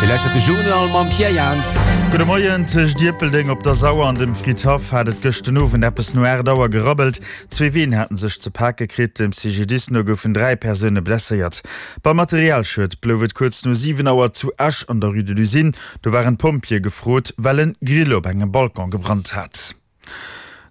Dir lauschtert de Journal mam Pierre Jans. Gudde Moien, Tëscht Ierpeldeng op der Sauer an dem Fridhaff hat et gëscht den Owend eppes no 8 Auer gerabbelt. Zwee Ween haten sech ze pake kritt. Dem CGDIS no goufen 3 Persoune blesséiert. Beim Materialschued blouf et kuerz no 7 Auer zu Esch an der Rue de l'Usine. Do waren d'Pompjeeë gefrot, well en Grill op engem Balcon gebrannt hat.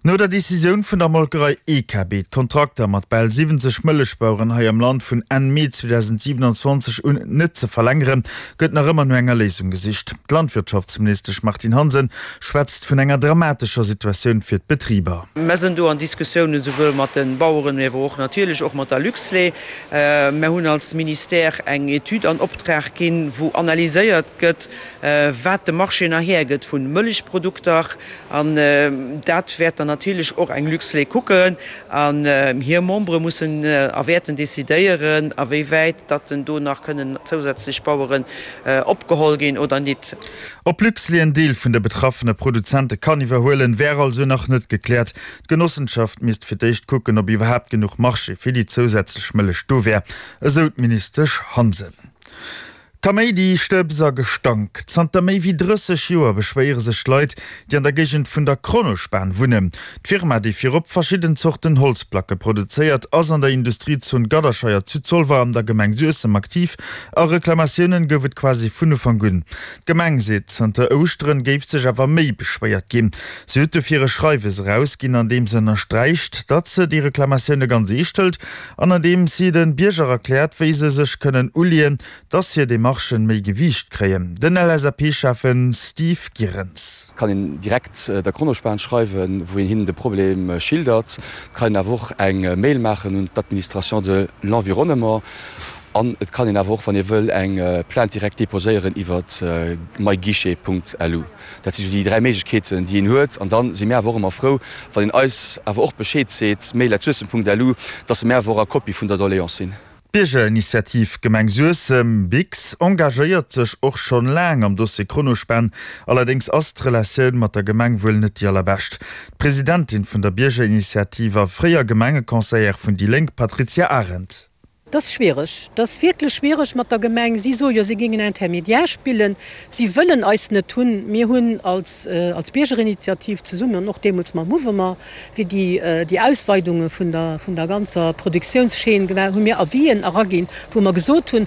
No der Decisioun vun der Molkerei EKB, d'Kontrakter mat bal 70 Mëllechbaueren hei am Land vun Enn Mee 2027 un net ze verlängeren, gëtt nach ëmmer no enger Léisung gesicht. D'Landwirtschaftsministesch Martine Hansen schwätzt vun enger dramatescher Situatioun fir d'Betriber. Mer sinn do an Diskussiounen souwuel mat de Baueren, mee awer och natierlech och mat der Luxlait. Mer hunn als Ministère eng Etüd an Optrag ginn, wou analyséiert gëtt, wat de Marché nach hergëtt vu Mëllechprodukter. An dat wäert dann natierlech och eng Luxlait kucken. An hir Membere mussen a wäerten decidéieren, a wéi wäit datt denn do nach kënnen zousätzlech Baueren opgeholl ginn oder nit. Ob Luxlait en Deel vun de betraffene Produzente kann iwwerhuelen, wär also nach net gekläert. D'Genossenschaft misst fir d'éischt kucken, ob iwwerhaapt genuch Marché fir déi zousätzlech Mëllech do wär, esou d'Ministesch Hansen. Kaméidi, Stëbs a Gestank, Zanter méi wéi 30 Joer beschwéiere sech d'Leit, déi an der Géigend vun der Kronospan wunnen. D'Firma, déi virop verschidden Zorten Holzplacke produzéiert, ass an der Industriezon Gadderscheier zu Zolwer an der Gemeng Suessem aktiv a Reklamatiounen gouf et quasi vun Ufank un. D'Gemeng seet, zanter Ouschteren géif sech awer méi beschwéiert ginn. Si huet dofir e Schreiwes erausginn, an deem se ënnersträicht, datt se déi Reklamatioune ganz eescht hëlt an an deem si de Bierger erkläert, wéi se sech kënnen uleeën, dass hir Demarchen méi Gewiicht kréien. Den LSAP-Schäffen Steve Gierenz. Et kann een direkt der Kronospan schreiwen, wou een hinnen de Problem schildert. Et kann een awer och eng Mail maachen un d'Administration de l'environnement. An et kann een awer och, wann ee wëll, eng Plainte direkt deposéieren iwwer myguichet.lu. Dat si sou déi 3 Méiglechkeeten, déi een huet. An da si mir awer och ëmmer frou, wann een eis awer och Bescheed seet, mail@suessem.lu, dass mir awer och a Kopie vun der Doléance sinn. D'Biergerinitiativ Gemeng Suessem, BIGS, engagéiert sech och schonn laang am Dossier Kronospan. Allerdéngs ass d'Relatioun mat der Gemeng wuel net déi allerbescht. D'Presidentin vun der Biergerinitiativ a fréier Gemengeconseillère vun déi Lénk, Patrizia Arendt. Et ass schwiereg, et ass wierklech schwiereg mat der Gemeng. Si soe jo, si géingen Intermédiaire spillen. Si wëllen eis net hunn. Mir hunn als als Biergerinitiativ zesummen an och deemools mam Mouvement, wéi déi déi Ausweidunge vun der vun der ganzer Produktiounschaîne gemaach, hu mir Avisen eraginn, wou mer gesot hunn,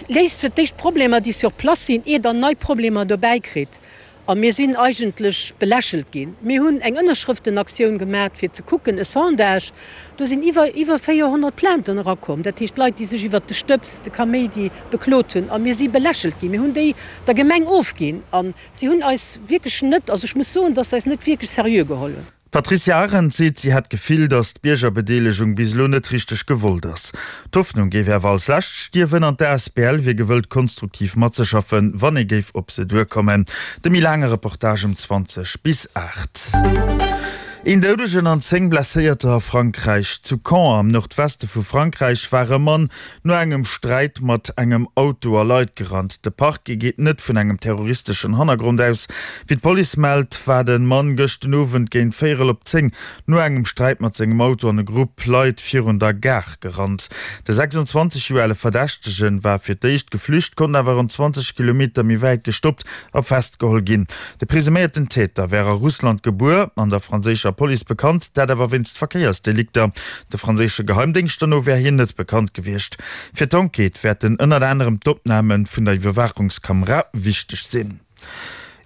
Léist fir d'éischt d'Problemer, déi sur place sinn, ier Der nei Problemer dobäi kritt. A mir sinn eigentlech belächelt ginn. Mir hunn eng Ënnerschrëftenaktioun gemaat, fir ze kucken, e Sondage, do sinn iwwer iwwer 400 Plainten erakomm, dat heescht Leit, déi sech iwwert de Stëbs, de Kaméidi beklot hunn. A mir si belächelt ginn. Mir hunn déi der Gemeng ofginn a si hunn eis wierklech net, also ech muss soen, dass se eis net wierklech seriö geholl hunn. D'Patricia Arendt seet, si hätt d'Gefill, datt d'Biergerbedeelegung bis elo net richteg gewollt ass. D'Hoffnung géif awer als lescht stierwen an d'ASBL wier gewëllt konstruktiv matzeschaffen, wann ee géif op se duerkommen. De méi laange Reportage um 20 bis 8. Een Doudegen an 10 Blesséierter a Frankräich. Zu Caen am Nordweste vu Frankräich war e Mann no engem Sträit mat engem Auto a Leit gerannt. De Parquet geet net vun engem terroristeschen Hannergrond aus. Wéi d'Police mellt, war de Mann gëscht den Owend géint véierel op 10 no engem Sträit mat sengem Auto an e Grupp Leit virun der Gare gerannt. De 26 Joer ale Verdächtegen war fir d'éischt geflücht, konnt awer ronn 20 Kilometer méi wäit gestoppt a festgeholl ginn. De presuméierten Täter wär a Russland gebuer an der franséischer Police bekannt, dat awer wéinst Verkéiersdelikter. De franséische Geheimdéngschter no wär hien net bekannt gewiescht. Fir d'Enquête wäerten ënnert anerem d'Opname vun der Iwwerwaachungskamera wichteg sinn.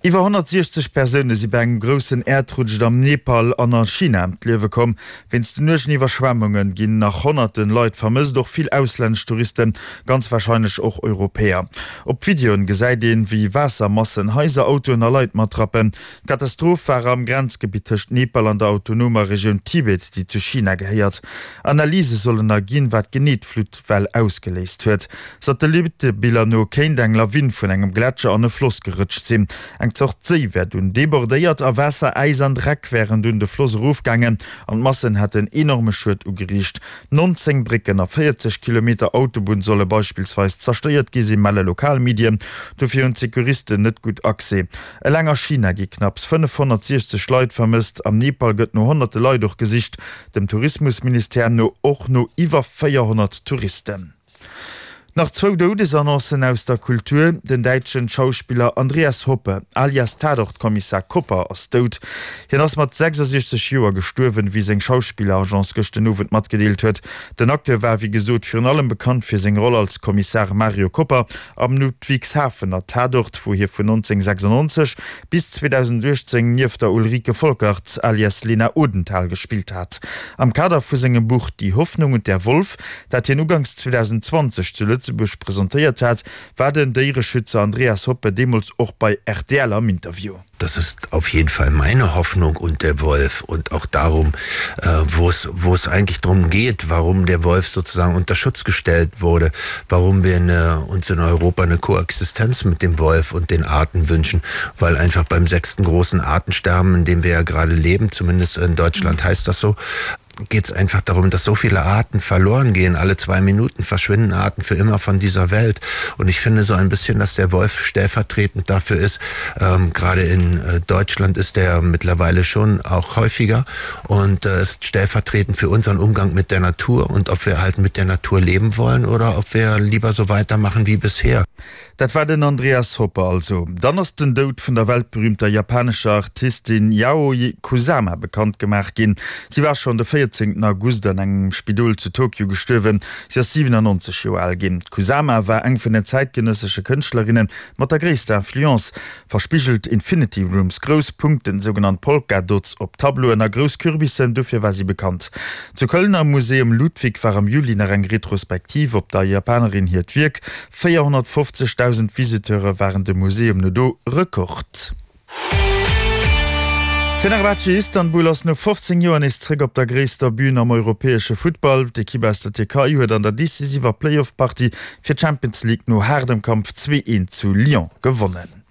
Iwwer 160 Persoune si bei engem groussen Äerdrutsch am Nepal an a China ëm d'Liewe komm. Wéinst den uergen Iwwerschwemmunge ginn nach honnerte Leit vermësst, och vill auslännesch Touristen, ganz warscheinlech och Europäer. Op Videoen gesäit een, wéi Waassermassen Haiser, Autoen a Leit matrappen. D'Katastroph war am Grenzgebitt tëscht Nepal an der autonomer Regioun Tibet, déi zu China gehéiert. Analyse sollen erginn, wat genee d'Fluttwell ausgeléist huet. Satellittebiller no kéint eng Lawin vun engem Gletscher an e Floss gerëtscht sinn. Eng Zort Séi wär dunn debordéiert a Waasser, Äis an Dreck wären dunn de Floss erofgaangen an d'Massen hätten enorme Schued ugeriicht. 19 Brécken a 40 Kilometer Autobunn solle beispillsweis zerstéiert gi sinn, melle lokal Medien. Dofir hunn d'Secouristen net gutt Accès. Eleng a China gi knapps 560 Leit vermësst, am Nepal gëtt no honnerte Leit och gesicht, dem Tourismusministère no och no iwwer 400 Touristen. Nach zwou Doudesannoncen aus der Kultur, Den däitschen Schauspiller Andreas Hoppe, alias Tatort-Kommissar Kopper, ass dout. Hien ass mat 66 Joer gestuerwen, wéi seng Schauspilleragence gëscht den Owend matgedeelt huet. Den Acteur war wéi gesot virun allem bekannt fir seng Roll als Kommissar Mario Kopper am Ludwigshafener Tatort, wou hie vun 1996 bis 2018 nieft der Ulrike Volkerts alias Lena Odenthal gespillt hat. Am Kader vu sengem Buch Die Hoffnung und der Wolf, dat hien uganks 2020 zu Lëtzebuerg presentéiert hat, war den Déiereschützer Andreas Hoppe deemools och bei rtl am Interview. Das ist auf jeden Fall meine Hoffnung und der Wolf und auch darum, wo es, wo es eigentlich drum geht, warum der Wolf sozusagen unter Schutz gestellt wurde, warum wir eine, uns in Europa eine Koexistenz mit dem Wolf und den Arten wünschen, weil einfach beim sechsten großen Artensterben, in dem wir ja gerade leben, zumindest in Deutschland heißt das so, geht es einfach darum, dass so viele Arten verloren gehen. Alle zwei Minuten verschwinden Arten für immer von dieser Welt. Und ich finde so ein bisschen, dass der Wolf stellvertretend dafür ist. Ähm, gerade in äh, Deutschland ist der mittlerweile schon auch häufiger und äh, ist stellvertretend für unseren Umgang mit der Natur und ob wir halt mit der Natur leben wollen oder ob wir lieber so weitermachen wie bisher. Dat war den Andreas Hoppe also. Dann ass den Doud vun der weltberühmter japanescher Artistin Yayoi Kusama bekannt gemaach ginn. Si war schonn de 14 August an engem Spidol zu Tokio gestuerwen. Si ass 97 Joer al ginn. D'Kusama war eng vun den zäitgenëssesche Kënschtlerinne mat der gréisster Influence. Verspigelt Infinity Rooms, grouss Punkten, sougenannt Polka Dots op Tableauen a grouss Kürbissen, dofir war si bekannt. Zu Köln am Museum Ludwig war am Juli nach eng Retrospektiv op der Japanerin hiert Wierk. 450.000 Visiteure waren dem Museum no do, Rekord. Fenerbahce Istanbul ass no 15 Joer nees zréck op der gréisster Bün am europäesche Futtball. D'Ekipp aus der Tierkei huet an der decisiver Playoff-Partie fir d'Champions League no haardem Kampf 2, 1 zu Lyon gewonnen.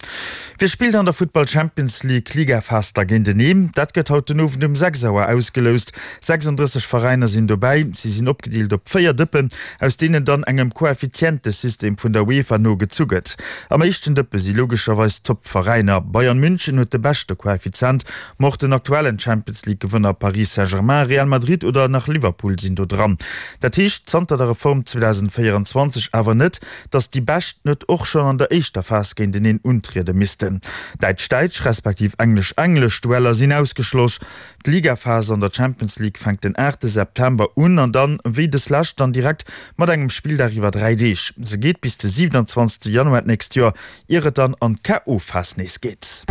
Wie spillt an der Futtball Champions League Ligaphas da géinteneen? Dat gëtt haut den Owend um 6 Auer ausgeloust. 36 Veräiner sinn dobäi. Si sinn opgedeelt op 4 Dëppen, aus deenen dann engem Koeffizientesystem vun der UEFA no gezu gëtt. Am éischten Dëppe si logescherweis d'Toppveräiner. Bayern München huet de beschte Koeffizient, ma och den aktuellen Champions League Gewënner Paris Saint-Germain, Real Madrid oder nach Liverpool sinn do dran. Dat heescht zanter der Reform 2024 awer net, datt déi Bescht net och schonn an der éischter Phas géinteneen untriede missten. Däitsch-däitsch respektiv englesch-englesch Dueller sinn ausgeschloss. D'Ligaphas an der Champions League fänkt den 8 September un an dann, wéi dës lescht, dann direkt mat engem Spilldag iwwer 3 Deeg. Se geet bis de 27 Januar d'nächst Joer. Ier et dann an d'KO-Phas nees geet.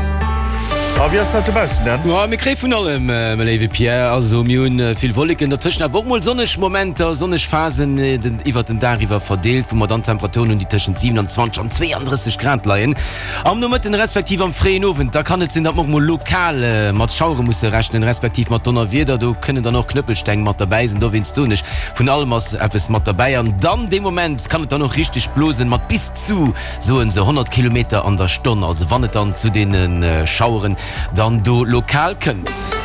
A wéi ass dat dobaussen dann? Jo, mir kréie vun allem, mäi léiwe Pierre. Also mir hunn vill Wolleken, dertëschent awer och mol sonneg Momenter, sonneg Phasen iwwert den Dag iwwer verdeelt, wou mer dann Temperaturen hunn, déi tëschent 27 an 32 Grad leien. Am Nomëtten respektiv am fréien Owend, da kann et sinn, datt mer och mol lokal mat Schauere musse rechnen, respektiv mat Donnerwieder. Do kënnen dann och Knëppelsteng mat derbäi sinn. Dowéinst soen ech, vun allem ass eppes mat derbäi. An dann dee Moment kann et dann och richteg blosen, mat bis zu, soen se, 100 Kilometer an der Stonn, also wann et dann zu deene Schaueren dann do lokal kënnt.